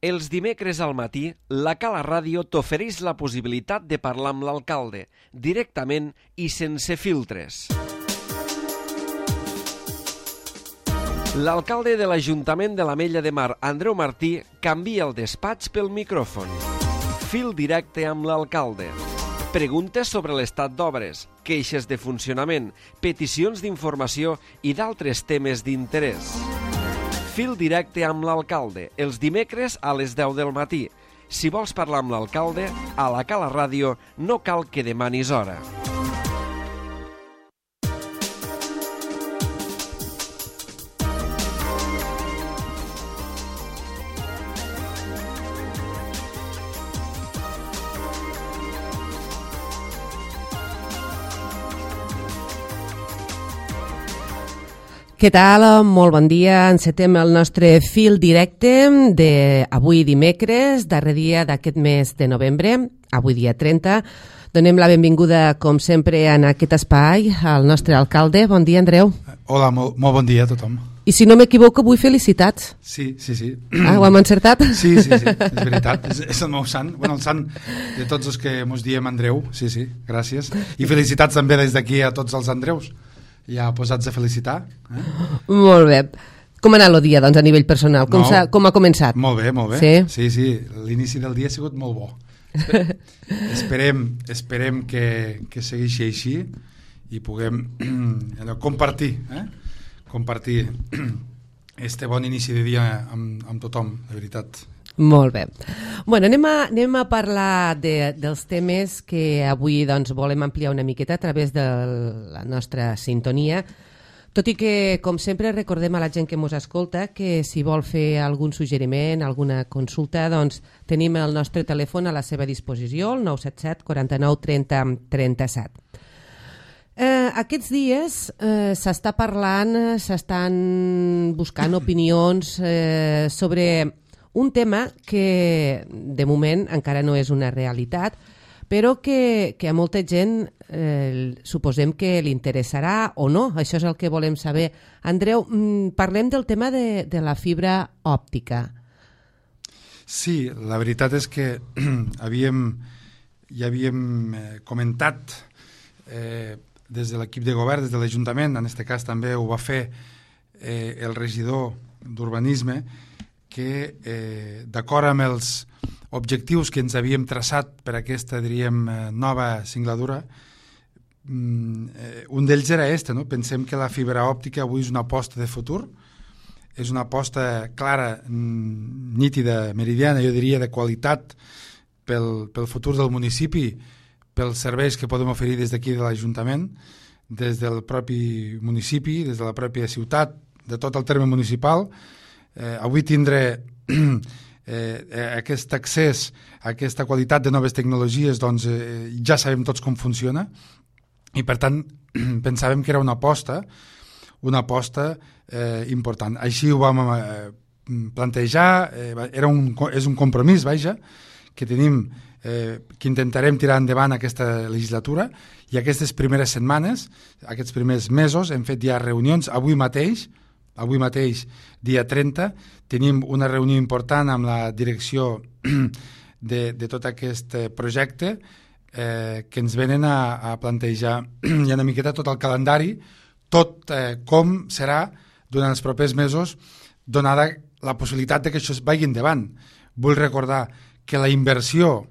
Els dimecres al matí, la Cala Ràdio t'ofereix la possibilitat de parlar amb l'alcalde, directament i sense filtres. L'alcalde de l'Ajuntament de l'Ametlla de Mar, Andreu Martí, canvia el despatx pel micròfon. Fil directe amb l'alcalde. Preguntes sobre l'estat d'obres, queixes de funcionament, peticions d'informació i d'altres temes d'interès. Fil directe amb l'alcalde, els dimecres a les 10 del matí. Si vols parlar amb l'alcalde, a la Cala Ràdio no cal que demanis hora. Què tal? Molt bon dia. Encetem el nostre fil directe d'avui dimecres, darrer dia d'aquest mes de novembre, avui dia 30. Donem la benvinguda, com sempre, en aquest espai al nostre alcalde. Bon dia, Andreu. Hola, molt bon dia a tothom. I si no m'equivoco, avui felicitats. Sí. Ah, ho hem encertat? Sí, és veritat. És el meu sant. Bueno, el sant de tots els que mos diem Andreu. Sí, gràcies. I felicitats també des d'aquí a tots els Andreus. Ja posats a felicitar. Molt bé. Com ha anat el dia, doncs, a nivell personal? Com ha començat? Molt bé. Sí. L'inici del dia ha sigut molt bo. Esperem que segueixi així i puguem compartir este bon inici de dia amb tothom, de veritat. Molt bé. Bueno, anem a parlar dels temes que avui doncs, volem ampliar una miqueta a través de la nostra sintonia, tot i que, com sempre, recordem a la gent que ens escolta que si vol fer algun suggeriment, alguna consulta, doncs tenim el nostre telèfon a la seva disposició, el 977 49 30 37. Aquests dies s'està parlant, s'estan buscant opinions sobre un tema que de moment encara no és una realitat, però que a molta gent suposem que li interessarà o no. Això és el que volem saber. Andreu, parlem del tema de la fibra òptica. Sí, la veritat és que ja havíem comentat des de l'equip de govern, des de l'Ajuntament, en aquest cas també ho va fer el regidor d'Urbanisme, que d'acord amb els objectius que ens havíem traçat per aquesta, diríem, nova singladura, un d'ells era no? Pensem que la fibra òptica avui és una aposta de futur, és una aposta clara, nítida, meridiana, jo diria, de qualitat pel futur del municipi, pels serveis que podem oferir des d'aquí de l'Ajuntament, des del propi municipi, des de la pròpia ciutat, de tot el terme municipal. Avui tindre aquest accés a aquesta qualitat de noves tecnologies, doncs ja sabem tots com funciona, i per tant pensàvem que era una aposta important. Així ho vam plantejar, és un compromís, que tenim, que intentarem tirar endavant aquesta legislatura, i aquestes primeres setmanes, aquests primers mesos, hem fet ja reunions. Avui mateix, dia 30, tenim una reunió important amb la direcció de tot aquest projecte que ens venen a plantejar ja una miqueta tot el calendari, tot com serà durant els propers mesos, donada la possibilitat de que això es vagi endavant. Vull recordar que la inversió,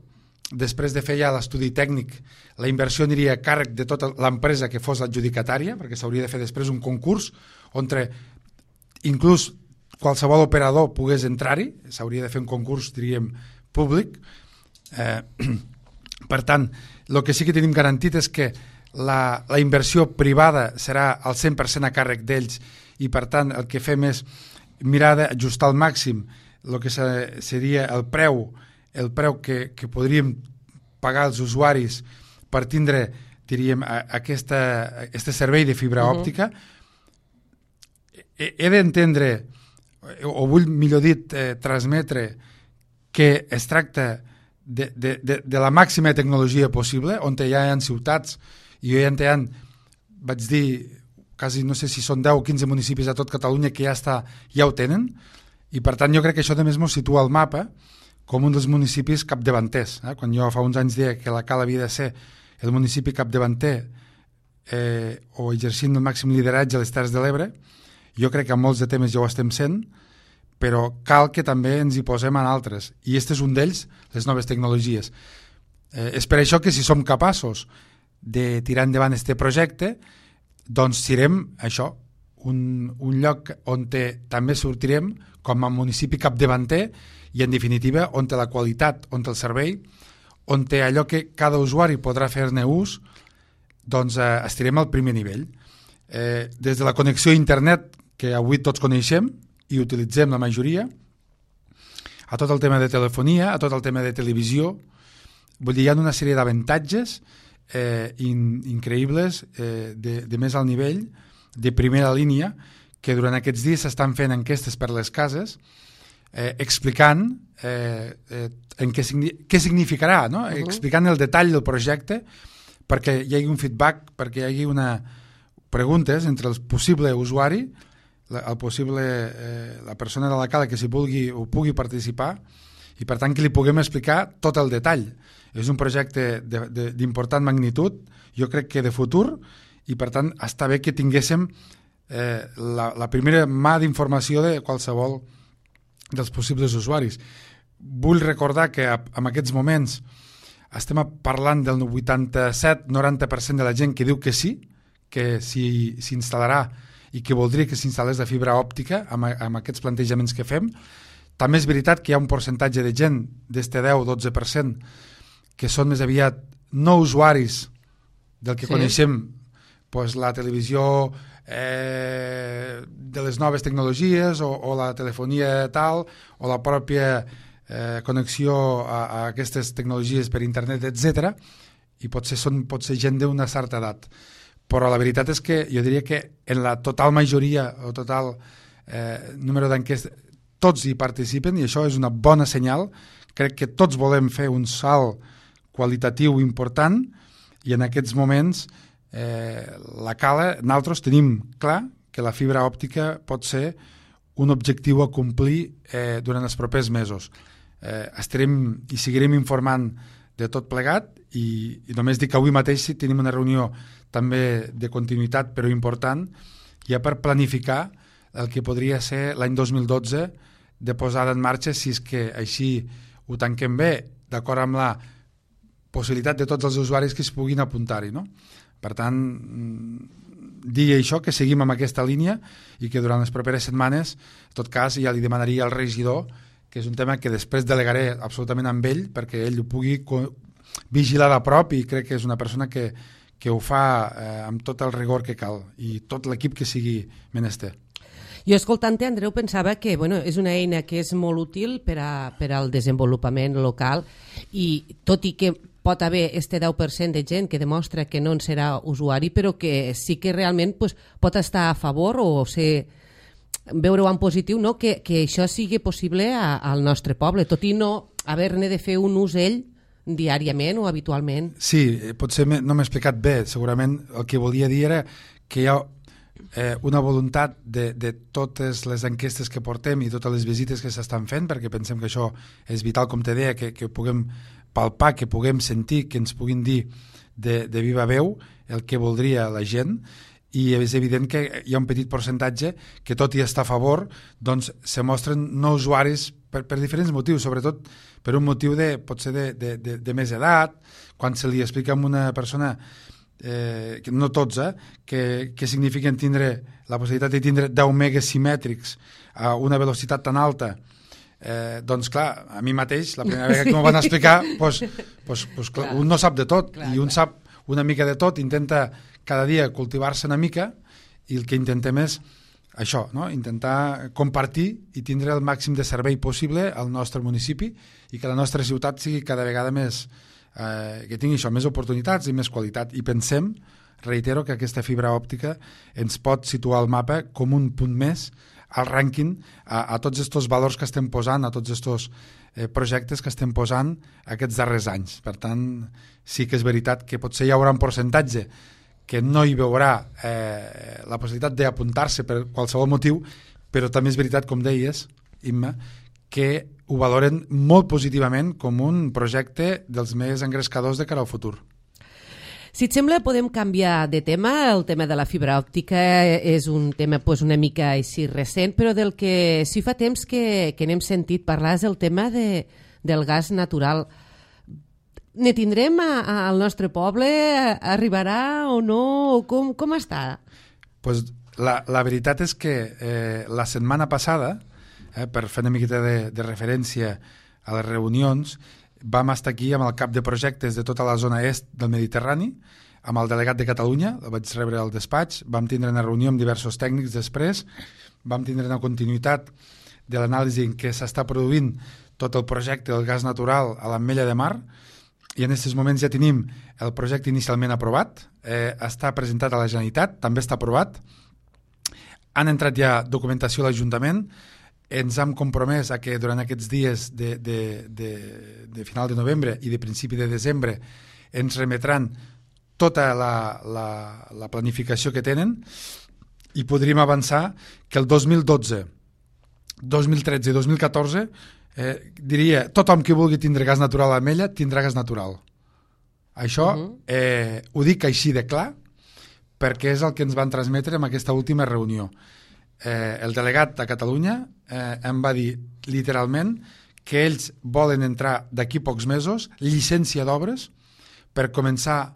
després de fer ja l'estudi tècnic, la inversió aniria a càrrec de tota l'empresa que fos adjudicatària, perquè s'hauria de fer després un concurs on inclús qualsevol operador pogués entrar-hi, s'hauria de fer un concurs, diríem, públic. Per tant, el que sí que tenim garantit és que la inversió privada serà al 100% a càrrec d'ells, i per tant el que fem és mirar d'ajustar al màxim el que seria el preu que podríem pagar als usuaris per tindre, diríem, aquest servei de fibra òptica. He d'entendre, o vull, millor dit, transmetre que es tracta de la màxima tecnologia possible, on ja hi ha ciutats, i ja vaig dir, quasi no sé si són 10 o 15 municipis a tot Catalunya que ja ho tenen, i per tant jo crec que això també ens situa al mapa com un dels municipis capdavanters. Quan jo fa uns anys deia que la Cal havia de ser el municipi capdavanter o exercint el màxim lideratge a les Terres de l'Ebre, jo crec que en molts de temes ja ho estem sent, però cal que també ens hi posem en altres, i aquest és un d'ells, les noves tecnologies. És per això que si som capaços de tirar endavant aquest projecte, doncs serem això, un lloc on també sortirem com a municipi capdavanter i en definitiva on la qualitat, on el servei, on allò que cada usuari podrà fer-ne ús, doncs estarem al primer nivell. Des de la connexió a internet que avui tots coneixem i utilitzem la majoria, a tot el tema de telefonia, a tot el tema de televisió, vull dir, hi ha una sèrie d'avantatges increïbles de més alt nivell, de primera línia, que durant aquests dies s'estan fent enquestes per les cases explicant què significarà, no? Explicant el detall del projecte perquè hi hagi un feedback, perquè hi hagi preguntes entre el possible usuari, la persona de la Cala que s'hi pugui participar i per tant que li puguem explicar tot el detall. És un projecte d'important magnitud, jo crec que de futur, i per tant està bé que tinguéssim la primera mà d'informació de qualsevol dels possibles usuaris. Vull recordar que en aquests moments estem parlant del 87-90% de la gent que diu que sí, que s'instal·larà i que voldria que s'instal·lés la fibra òptica amb aquests plantejaments que fem. També és veritat que hi ha un percentatge de gent d'este 10-12% que són més aviat no usuaris del que coneixem, doncs la televisió de les noves tecnologies o la telefonia tal o la pròpia connexió a aquestes tecnologies per internet, etc. I pot ser gent d'una certa edat. Però la veritat és que jo diria que en la total majoria o total número d'enquestes tots hi participen i això és una bona senyal. Crec que tots volem fer un salt qualitatiu important i en aquests moments la Cala, nosaltres tenim clar que la fibra òptica pot ser un objectiu a complir durant els propers mesos. Estarem i seguirem informant de tot plegat i només dic que avui mateix tenim una reunió també de continuïtat però important ja per planificar el que podria ser l'any 2012 de posada en marxa si és que així ho tanquem bé d'acord amb la possibilitat de tots els usuaris que es puguin apuntar-hi, no? Per tant, dir això, que seguim amb aquesta línia i que durant les properes setmanes, en tot cas, ja li demanaria al regidor, que és un tema que després delegaré absolutament amb ell perquè ell ho pugui vigilar de prop i crec que és una persona que ho fa amb tot el rigor que cal i tot l'equip que sigui menester. Jo, escoltant-te, Andreu, pensava que és una eina que és molt útil per al desenvolupament local i tot i que pot haver este 10% de gent que demostra que no en serà usuari, però que sí que realment pot estar a favor o veure-ho en positiu, no? que això sigui possible al nostre poble, tot i no haver-ne de fer un ús ell diàriament o habitualment. Sí, potser no m'he explicat bé. Segurament el que volia dir era que hi ha una voluntat de totes les enquestes que portem i totes les visites que s'estan fent, perquè pensem que això és vital, com te deia, que puguem palpar, que puguem sentir, que ens puguin dir de viva veu el que voldria la gent, i és evident que hi ha un petit percentatge que tot i estar a favor doncs se mostren no usuaris per diferents motius, sobretot per un motiu potser de més edat, quan se li explica a una persona no tots, que signifiquen tindre la possibilitat de tindre 10 megas simètrics a una velocitat tan alta, doncs clar, a mi mateix la primera vegada que m'ho van explicar clar, un no sap de tot i un sap una mica de tot, intenta cada dia cultivar-se una mica i el que intentem és això, no? Intentar compartir i tindre el màxim de servei possible al nostre municipi i que la nostra ciutat sigui cada vegada més que tingui això, més oportunitats i més qualitat. I pensem, reitero, que aquesta fibra òptica ens pot situar al mapa com un punt més al rànquing a tots aquests valors que estem posant, a tots aquests projectes que estem posant aquests darrers anys. Per tant, sí que és veritat que potser hi haurà un percentatge que no hi veurà la possibilitat d'apuntar-se per qualsevol motiu, però també és veritat, com deies, Imma, que ho valoren molt positivament com un projecte dels més engrescadors de cara al futur. Si et sembla, podem canviar de tema. El tema de la fibra òptica és un tema una mica així recent, però del que sí fa temps que n'hem sentit parlar és el tema del gas natural. Ne tindrem al nostre poble? Arribarà o no? Com està? Pues la veritat és que la setmana passada, per fer una miqueta de referència a les reunions, vam estar aquí amb el cap de projectes de tota la zona est del Mediterrani, amb el delegat de Catalunya, el vaig rebre al despatx, vam tindre una reunió amb diversos tècnics després, vam tindre una continuïtat de l'anàlisi en què s'està produint tot el projecte del gas natural a l'Ametlla de Mar, i en aquests moments ja tenim el projecte inicialment aprovat, està presentat a la Generalitat, també està aprovat, han entrat ja documentació a l'Ajuntament, ens hem compromès a que durant aquests dies de final de novembre i de principi de desembre ens remetran tota la planificació que tenen i podríem avançar que el 2012, 2013 i 2014 diria tothom que vulgui tindre gas natural a l'Ametlla tindrà gas natural. Això ho dic així de clar perquè és el que ens van transmetre en aquesta última reunió. El delegat de Catalunya em va dir literalment que ells volen entrar d'aquí pocs mesos llicència d'obres per començar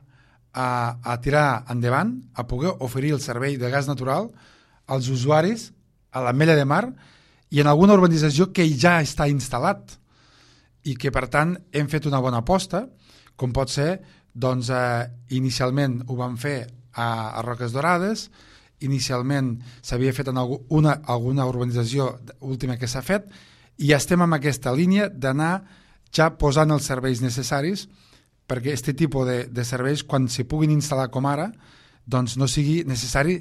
a tirar endavant, a poder oferir el servei de gas natural als usuaris a l'Ametlla de Mar i en alguna urbanització que ja està instal·lat i que per tant hem fet una bona aposta, com pot ser doncs inicialment ho vam fer a Roques Dorades, inicialment s'havia fet en alguna urbanització última que s'ha fet i estem en aquesta línia d'anar ja posant els serveis necessaris perquè aquest tipus de serveis quan s'hi puguin instal·lar com ara doncs no sigui necessari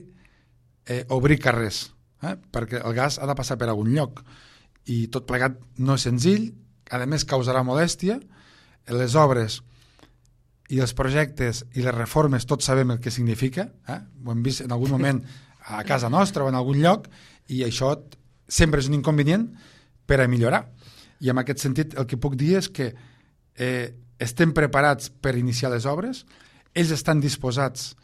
obrir carrers, perquè el gas ha de passar per algun lloc i tot plegat no és senzill, a més causarà molèstia, les obres i els projectes i les reformes tots sabem el que significa, ho hem vist en algun moment a casa nostra o en algun lloc i això sempre és un inconvenient per a millorar i en aquest sentit el que puc dir és que estem preparats per iniciar les obres, ells estan disposats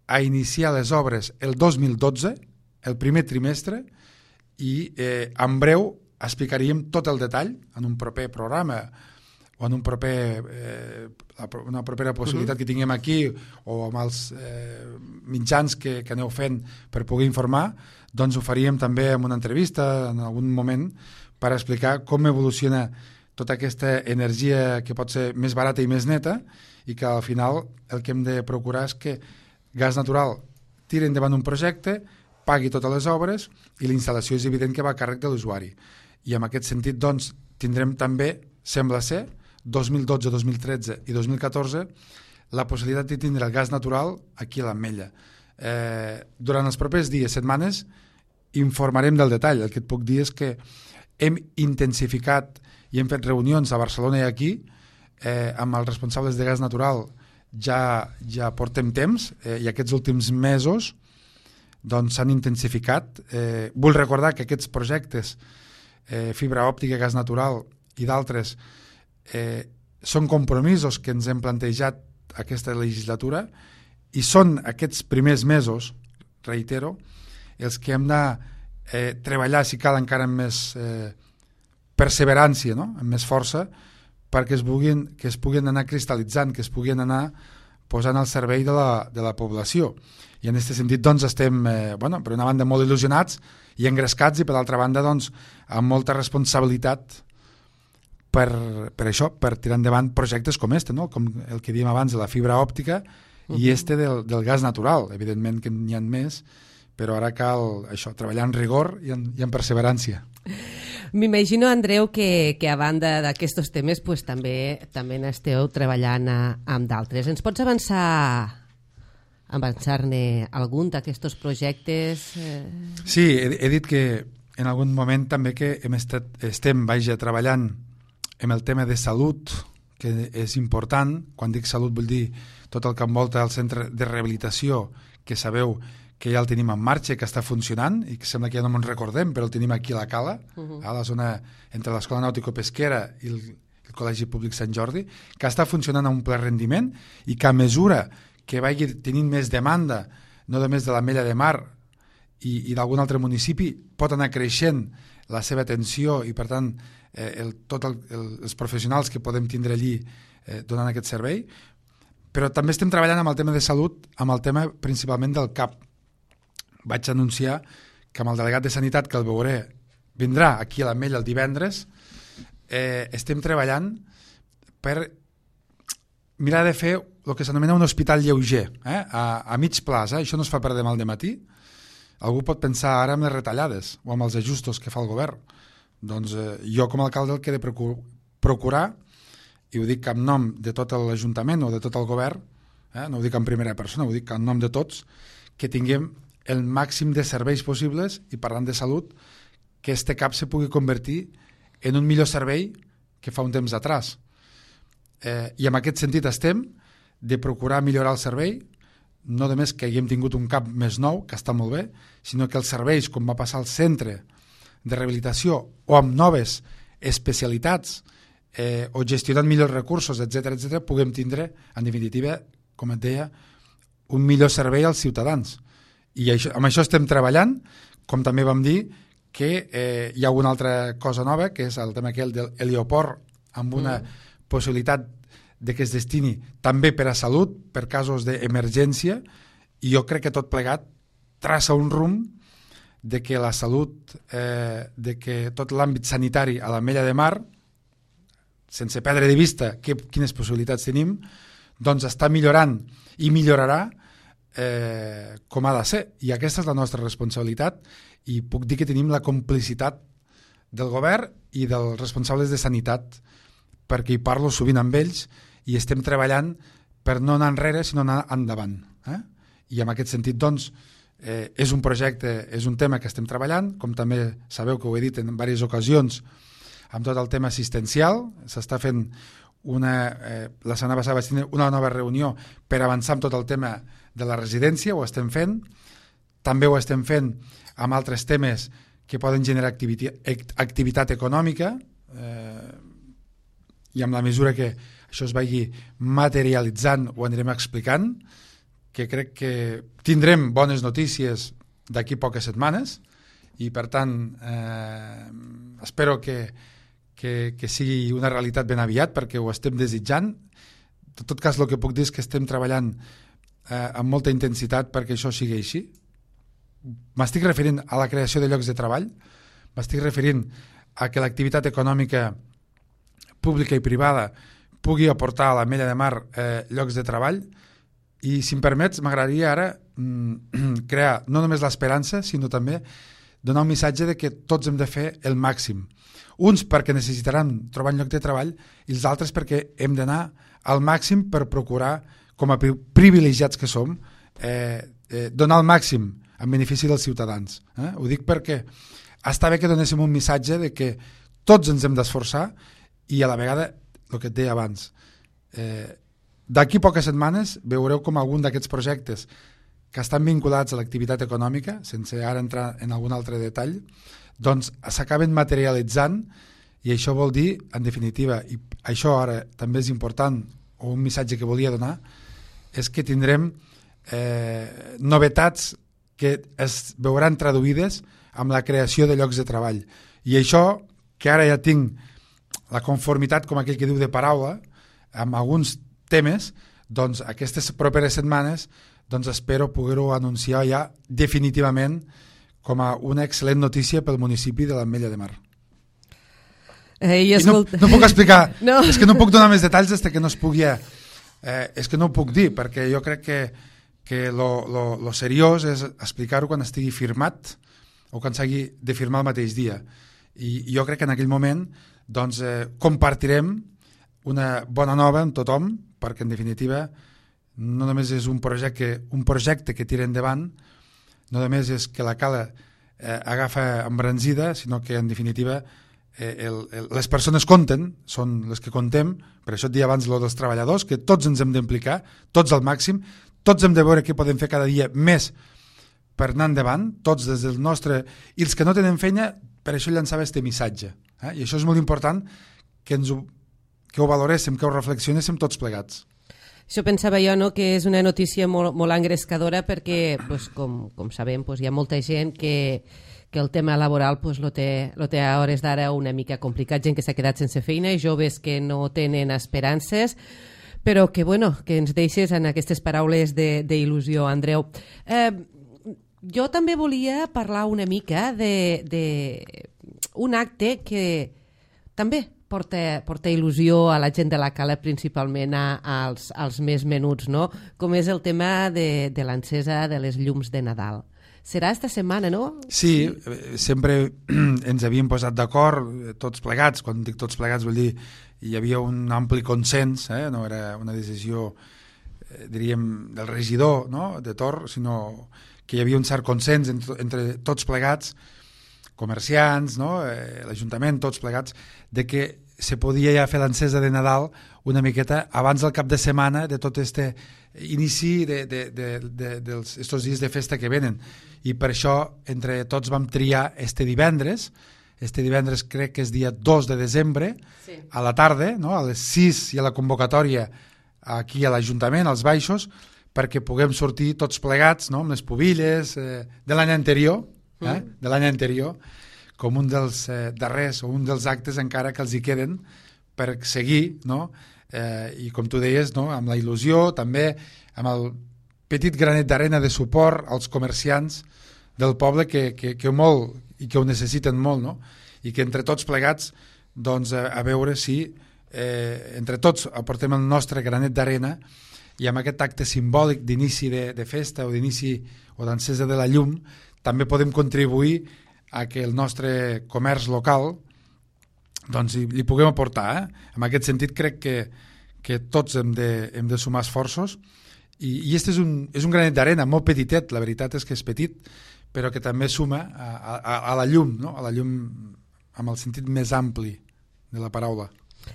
a iniciar les obres el 2012, el primer trimestre i en breu explicaríem tot el detall en un proper programa o en una propera possibilitat que tinguem aquí o amb els mitjans que aneu fent per poder informar, doncs ho faríem també en una entrevista en algun moment per explicar com evoluciona tota aquesta energia que pot ser més barata i més neta i que al final el que hem de procurar és que Gas Natural tiri endavant un projecte, pagui totes les obres i la instal·lació és evident que va a càrrec de l'usuari. I en aquest sentit doncs tindrem també, sembla ser, 2012, 2013 i 2014 la possibilitat de tindre el gas natural aquí a l'Ametlla. Durant els propers dies, setmanes, informarem del detall. El que et puc dir és que hem intensificat i hem fet reunions a Barcelona i aquí amb els responsables de gas natural ja portem temps i aquests últims mesos doncs s'han intensificat. Vull recordar que aquests projectes fibra òptica, gas natural i d'altres són compromisos que ens hem plantejat aquesta legislatura i són aquests primers mesos, reitero, els que hem de treballar, si cal encara amb més perseverància, no? Amb més força, perquè es puguin anar cristal·litzant, que es puguin anar posant al servei de la població. I en aquest sentit doncs, estem, per una banda, molt il·lusionats i engrescats i, per l'altra banda, doncs, amb molta responsabilitat per això, per tirar endavant projectes com este, no? Com el que dèiem abans de la fibra òptica i del gas natural. Evidentment que n'hi ha més, però ara cal això, treballar en rigor i en perseverància. M'imagino, Andreu, que a banda d'aquests temes pues, també n'esteu treballant amb d'altres. Ens pots avançar-ne algun d'aquests projectes? Sí, he dit que en algun moment també que estem treballant en el tema de salut, que és important. Quan dic salut vull dir tot el que envolta el centre de rehabilitació, que sabeu que ja el tenim en marxa, que està funcionant, i que sembla que ja no ens recordem, però el tenim aquí a la Cala, a la zona entre l'Escola Nàutico-Pesquera i el Col·legi Públic Sant Jordi, que està funcionant a un ple rendiment i que a mesura que vagi tenint més demanda, no només de l'Ametlla de Mar i d'algun altre municipi, pot anar creixent la seva atenció i, per tant, els professionals que podem tindre allí donant aquest servei. Però també estem treballant amb el tema de salut, amb el tema principalment del CAP. Vaig anunciar que amb el delegat de Sanitat, que el veuré, vindrà aquí a l'Ametlla el divendres, estem treballant per mirar de fer el que s'anomena un hospital lleuger, a mig plaç. Això no es fa per demà al dematí. Algú pot pensar ara en les retallades o amb els ajustos que fa el govern. Doncs jo com a alcalde el que he de procurar, i ho dic en nom de tot l'Ajuntament o de tot el govern, no ho dic en primera persona, ho dic en nom de tots, que tinguem el màxim de serveis possibles, i parlant de salut, que este CAP se pugui convertir en un millor servei que fa un temps atrás. I en aquest sentit estem de procurar millorar el servei, no només que haguem tingut un CAP més nou, que està molt bé, sinó que els serveis, com va passar al centre de rehabilitació o amb noves especialitats o gestionant millors recursos, etc., puguem tindre, en definitiva, com et deia, un millor servei als ciutadans. I amb això estem treballant, com també vam dir que hi ha una altra cosa nova, que és el tema aquell de l'helioport, amb una possibilitat de que es destini també per a salut, per casos d'emergència, i jo crec que tot plegat traça un rumb de que la salut, de que tot l'àmbit sanitari a l'Ametlla de Mar, sense perdre de vista quines possibilitats tenim, doncs està millorant i millorarà com ha de ser. I aquesta és la nostra responsabilitat, i puc dir que tenim la complicitat del govern i dels responsables de sanitat, perquè hi parlo sovint amb ells i estem treballant per no anar enrere, sinó anar endavant. I en aquest sentit, doncs, és un projecte, és un tema que estem treballant, com també sabeu que ho he dit en diverses ocasions, amb tot el tema assistencial. S'està fent la setmana passada vaig tenir una nova reunió per avançar amb tot el tema de la residència, ho estem fent. També ho estem fent amb altres temes que poden generar activitat econòmica, i amb la mesura que això es vagi materialitzant ho anirem explicant, que crec que tindrem bones notícies d'aquí poques setmanes, i per tant espero que sigui una realitat ben aviat, perquè ho estem desitjant. En tot cas, el que puc dir és que estem treballant amb molta intensitat perquè això sigui així. M'estic referint a la creació de llocs de treball, m'estic referint a que l'activitat econòmica pública i privada pugui aportar a l'Ametlla de Mar llocs de treball, i si em permets m'agradaria ara crear no només l'esperança, sinó també donar un missatge de que tots hem de fer el màxim. Uns perquè necessitaran trobar un lloc de treball i els altres perquè hem d'anar al màxim per procurar, com a privilegiats que som, donar el màxim en benefici dels ciutadans. Ho dic perquè està bé que donéssim un missatge de que tots ens hem d'esforçar, i a la vegada, el que et deia abans, d'aquí poques setmanes veureu com algun d'aquests projectes que estan vinculats a l'activitat econòmica, sense ara entrar en algun altre detall, doncs s'acaben materialitzant, i això vol dir, en definitiva, i això ara també és important, o un missatge que volia donar, és que tindrem novetats que es veuran traduïdes amb la creació de llocs de treball. I això, que ara ja tinc la conformitat, com aquell que diu, de paraula, amb alguns temes, doncs aquestes properes setmanes doncs espero poder-ho anunciar ja definitivament com a una excel·lent notícia pel municipi de l'Ametlla de Mar. No puc explicar, no. És que no puc donar més detalls des que no es pugui... és que no ho puc dir, perquè jo crec que lo seriós és explicar-ho quan estigui firmat o quan s'hagi de firmar el mateix dia. I jo crec que en aquell moment doncs, compartirem una bona nova amb tothom, perquè en definitiva no només és un projecte que tira endavant, no només és que la Cala agafa embranzida, sinó que en definitiva les persones compten, són les que contem. Per això et dia abans dels treballadors, que tots ens hem d'implicar, tots al màxim, tots hem de veure què podem fer cada dia més per anar endavant, tots des del nostre... I els que no tenen feina, per això llançava este missatge. I això és molt important que ho valoréssim, que ho reflexionéssim tots plegats. Això pensava jo, no?, que és una notícia molt engrescadora perquè, pues, com sabem, pues, hi ha molta gent que el tema laboral pues, lo té a hores d'ara una mica complicat, gent que s'ha quedat sense feina, joves que no tenen esperances, però que, bueno, que ens deixes en aquestes paraules d'il·lusió, Andreu. Jo també volia parlar una mica d'un acte que també porta il·lusió a la gent de la Cala, principalment als més menuts, no? Com és el tema de l'encesa de les llums de Nadal. Serà esta setmana, no? Sí, sempre ens havíem posat d'acord tots plegats. Quan dic tots plegats vull dir hi havia un ampli consens, no era una decisió, diríem, del regidor, no?, de Tor, sinó que hi havia un cert consens entre tots plegats, comerciants, no?, l'Ajuntament, tots plegats, de que se podia ja fer l'encesa de Nadal una miqueta abans del cap de setmana de tot este inici d'estos dies de festa que venen. I per això entre tots vam triar este divendres crec que és dia 2 de desembre, sí, a la tarda, no?, a les 6 i a la convocatòria aquí a l'Ajuntament, als baixos, perquè puguem sortir tots plegats, no?, amb les pubilles de l'any anterior, com un dels darrers o un dels actes encara que els hi queden per seguir, no?, i com tu deies, no?, amb la il·lusió, també amb el petit granet d'arena de suport als comerciants del poble que molt i que ho necessiten molt, no?, i que entre tots plegats, doncs, a veure si entre tots aportem el nostre granet d'arena i amb aquest acte simbòlic d'inici de festa o d'inici o d'encesa de la llum també podem contribuir a que el nostre comerç local doncs li puguem aportar. En aquest sentit crec que tots hem de sumar esforços i este és un granet d'arena molt petitet, la veritat és que és petit, però que també suma a la llum, no?, a la llum amb el sentit més ampli de la paraula.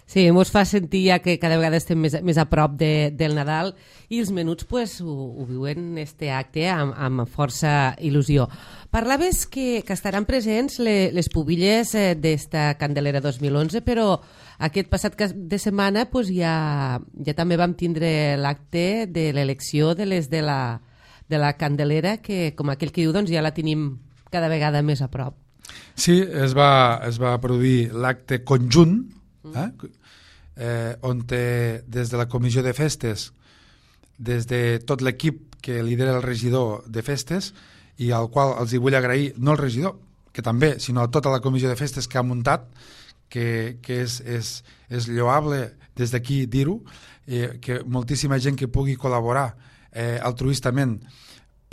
Sí, ens fa sentir ja que cada vegada estem més a prop del Nadal i els menuts pues, ho viuen este acte amb força il·lusió. Parlaves que estaran presents les pubilles d'esta Candelera 2011, però aquest passat cap de setmana pues, ja també vam tindre l'acte de l'elecció de les de la Candelera, que com aquell que diu doncs, ja la tenim cada vegada més a prop. Sí, es va produir l'acte conjunt, on des de la comissió de festes, des de tot l'equip que lidera el regidor de festes, i al qual els hi vull agrair, no el regidor, que també, sinó a tota la comissió de festes que ha muntat, que és lloable des d'aquí dir-ho, que moltíssima gent que pugui col·laborar altruistament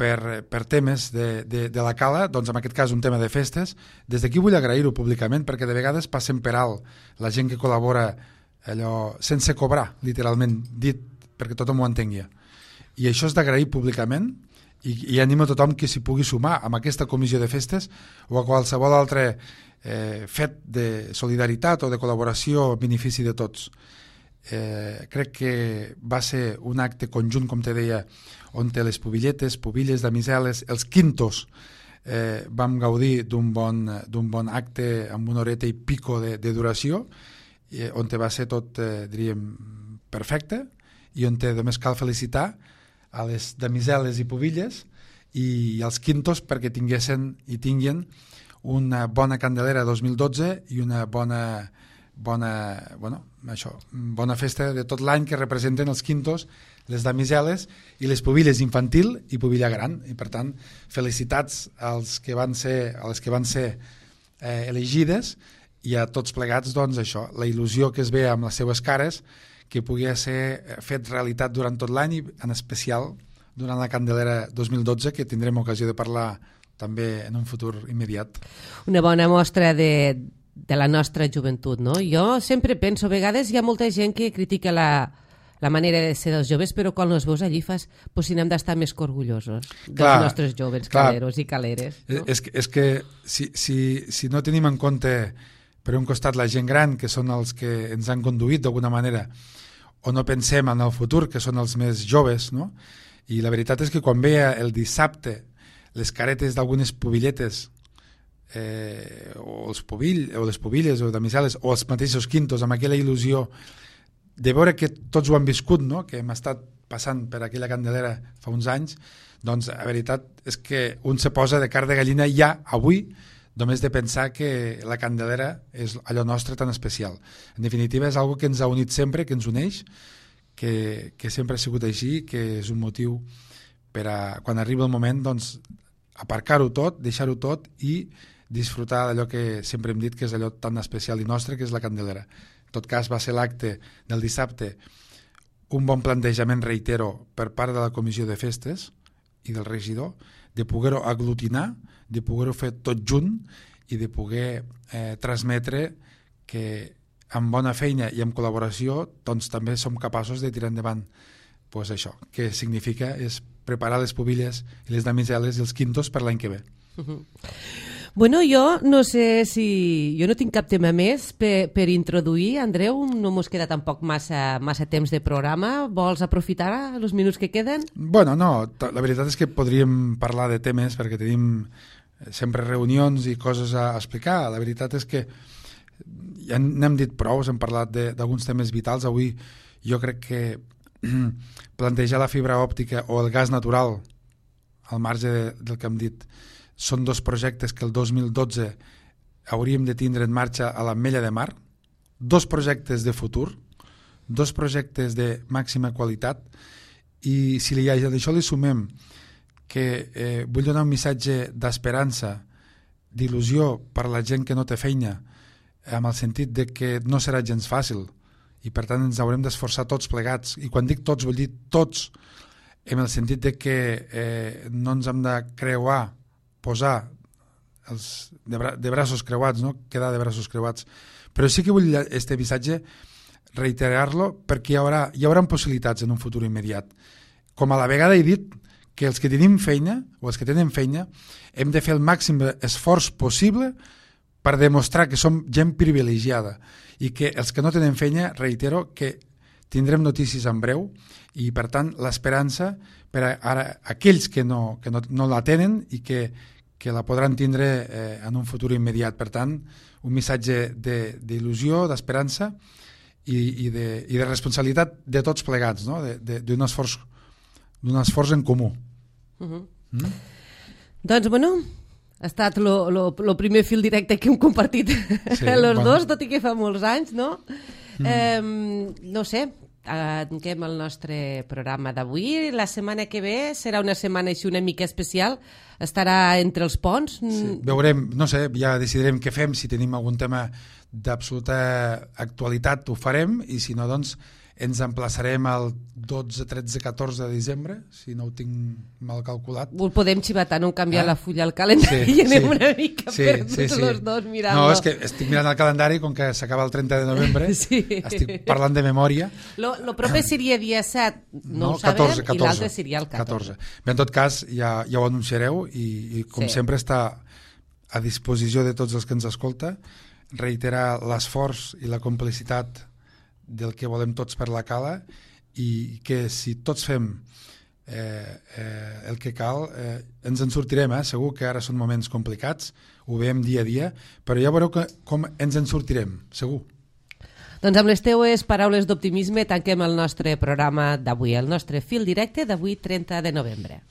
per temes de la Cala, doncs en aquest cas un tema de festes, des d'aquí vull agrair-ho públicament perquè de vegades passen per alt la gent que col·labora allò sense cobrar, literalment dit, perquè tothom ho entengui. I això és d'agrair públicament i animo a tothom que s'hi pugui sumar amb aquesta comissió de festes o a qualsevol altre fet de solidaritat o de col·laboració en benefici de tots. Crec que va ser un acte conjunt, com te deia, on les pubilles, damiseles, els quintos, vam gaudir d'un bon acte amb una horeta i pico de duració, on va ser tot, diríem, perfecte, i on només cal felicitar a les damiseles i pubilles i als quintos perquè tinguin una bona Candelera 2012 i una bona festa de tot l'any que representen els quintos, les damiseles i les pubilles infantil i pubilla gran, i per tant felicitats a les que van ser elegides i a tots plegats, doncs això, la il·lusió que es ve amb les seues cares que pugui ser fet realitat durant tot l'any i en especial durant la Candelera 2012, que tindrem ocasió de parlar també en un futur immediat. Una bona mostra de la nostra joventut, no? Jo sempre penso, a vegades hi ha molta gent que critica la manera de ser dels joves, però quan els veus allí fas, pues si n'hem d'estar més que orgullosos dels nostres joves caleros i caleres. No? És que si no tenim en compte per un costat la gent gran, que són els que ens han conduït d'alguna manera, o no pensem en el futur, que són els més joves, no? I la veritat és que quan veia el dissabte les caretes d'algunes pubilletes o les pubilles o damisel·les o els mateixos quintos, amb aquella il·lusió de veure que tots ho han viscut, no? Que hem estat passant per aquella Candelera fa uns anys, doncs la veritat és que un se posa de carn de gallina ja avui, només de pensar que la Candelera és allò nostre tan especial. En definitiva, és algo que ens ha unit sempre, que ens uneix, que sempre ha sigut així, que és un motiu per a, quan arriba el moment, doncs, aparcar-ho tot, deixar-ho tot i disfrutar d'allò que sempre hem dit que és allò tan especial i nostre, que és la Candelera. En tot cas, va ser l'acte del dissabte un bon plantejament, reitero, per part de la Comissió de Festes i del regidor, de poder-ho aglutinar, de poder-ho fer tot junt i de poder transmetre que amb bona feina i amb col·laboració doncs també som capaços de tirar endavant pues això, que significa és preparar les pubilles i les damisel·les i els quintos per l'any que ve. Bueno, jo no sé si... Jo no tinc cap tema més per introduir. Andreu, no mos queda tampoc massa temps de programa. Vols aprofitar els minuts que queden? Bueno, no, la veritat és que podríem parlar de temes perquè tenim sempre reunions i coses a explicar. La veritat és que ja n'hem dit prou, hem parlat d'alguns temes vitals. Avui jo crec que plantejar la fibra òptica o el gas natural al marge del que hem dit són dos projectes que el 2012 hauríem de tindre en marxa a l'Ametlla de Mar, dos projectes de futur, dos projectes de màxima qualitat, i si a això li sumem que vull donar un missatge d'esperança, d'il·lusió per a la gent que no té feina, amb el sentit de que no serà gens fàcil, i per tant ens haurem d'esforçar tots plegats, i quan dic tots vull dir tots, en el sentit de que no ens hem de creuar, posar de braços creuats, no? Quedar de braços creuats. Però sí que vull este missatge reiterar-lo perquè hi haurà possibilitats en un futur immediat. Com a la vegada he dit que els que tenim feina, o els que tenen feina, hem de fer el màxim esforç possible per demostrar que som gent privilegiada i que els que no tenen feina, reitero, que tindrem notícies en breu i, per tant, l'esperança per a aquells que no la tenen i que la podran tindre en un futur immediat. Per tant, un missatge d'il·lusió, d'esperança i de responsabilitat de tots plegats, no? d'un esforç en comú. Doncs, bueno, ha estat el primer fil directe que hem compartit els dos, tot i que fa molts anys, no? No sé, tanquem el nostre programa d'avui. La setmana que ve serà una setmana així una mica especial, estarà entre els ponts. Sí, veurem, no sé, ja decidirem què fem, si tenim algun tema d'absoluta actualitat ho farem, i si no, doncs ens emplaçarem el 12, 13, 14 de desembre, si no ho tinc mal calculat. Ho podem xivatar, no canviar la fulla al calendari i anem una mica perduts els dos mirant-lo. No, és que estic mirant el calendari, com que s'acaba el 30 de novembre, estic parlant de memòria. Lo proper seria dia 7, no ho sabem, 14. I l'altre seria el 14. Bé, en tot cas, ja ho anunciareu i com sempre està a disposició de tots els que ens escolta, reiterar l'esforç i la complicitat del que volem tots per la cala, i que si tots fem el que cal ens en sortirem, segur que ara són moments complicats, ho veiem dia a dia, però ja veureu com ens en sortirem, segur. Doncs amb les teues paraules d'optimisme tanquem el nostre programa d'avui, el nostre fil directe d'avui 30 de novembre.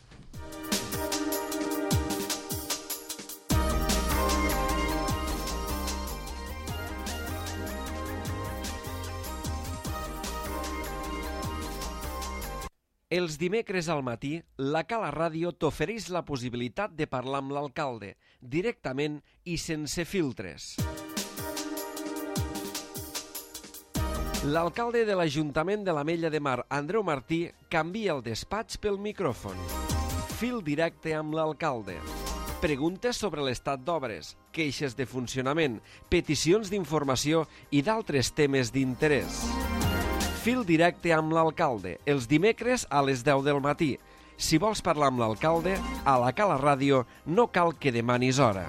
Els dimecres al matí, la Cala Ràdio t'ofereix la possibilitat de parlar amb l'alcalde, directament i sense filtres. L'alcalde de l'Ajuntament de l'Ametlla de Mar, Andreu Martí, canvia el despatx pel micròfon. Fil directe amb l'alcalde. Preguntes sobre l'estat d'obres, queixes de funcionament, peticions d'informació i d'altres temes d'interès. Fil directe amb l'alcalde, els dimecres a les 10 del matí. Si vols parlar amb l'alcalde, a la Cala Ràdio no cal que demanis hora.